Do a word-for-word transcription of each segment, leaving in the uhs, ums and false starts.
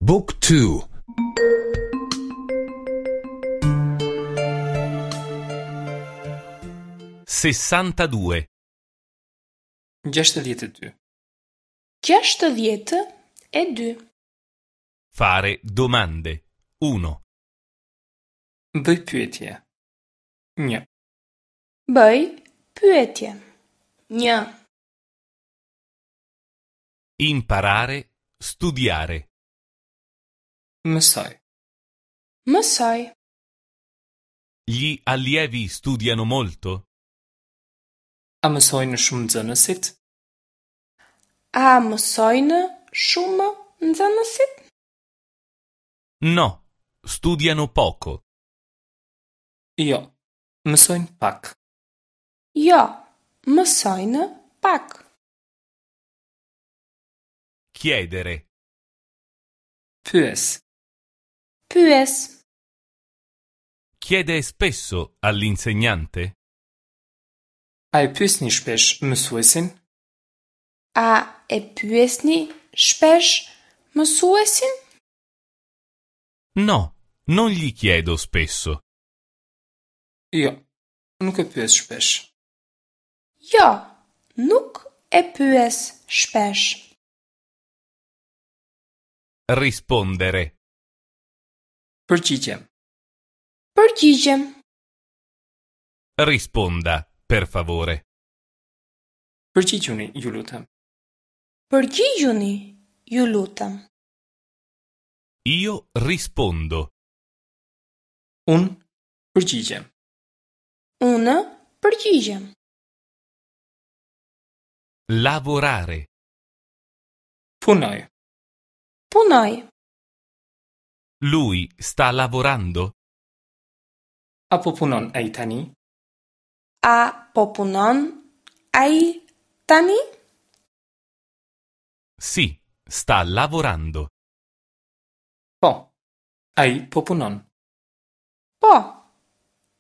Book two. Sessantadue. Gjashtëdhjetë e dy. Gjashtëdhjetë e dy. Fare domande. Uno. Bëj pyetje. Një. Bëj pyetje. Një. Imparare, studiare. Mësoj. Mësoj. Gli allievi studiano molto? A mësojnë shumë nxënësit? A mësojnë shumë nxënësit? No, studiano poco. Jo, mësojnë pak. Jo, mësojnë pak. Chiedere. Pyes. Pyes. Chiede spesso all'insegnante? A e pyesni shpesh mësuesin? A e pyesni shpesh mësuesin? No, non gli chiedo spesso. Jo, nuk e pyes shpesh. Jo, nuk e pyes shpesh. Rispondere. Përgjigjem. Përgjigjem. Risponda, per favore. Përgjigjuni, ju lutem. Përgjigjuni, ju lutem. Io rispondo. Unë përgjigjem. Unë përgjigjem. Lavorare. Punoj. Punoj. Lui sta lavorando? A po punon ai tani? A po punon ai tani? Sì, sta lavorando. Po. Ai po punon. Po.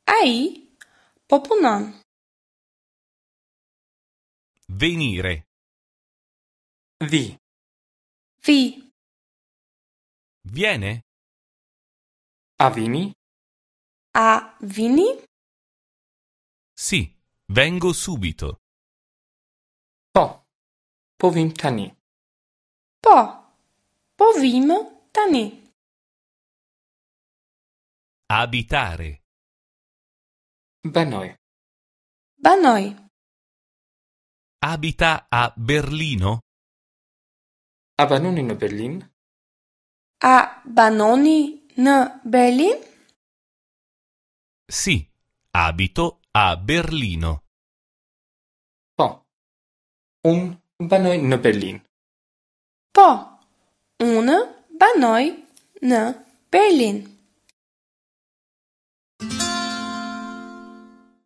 Ai po punon. Venire. Vi. Vi. Viene? A vini? A vini? Sì, vengo subito. Po. Po vim tani. Po. Po vim tani. Abitare. Banoj. Banoj. Abita a Berlino? A banoni në Berlin? A banoni në Berlin? Sì, abito a Berlino. Po. Unë banoj në Berlin. Po. Unë banoj në Berlin.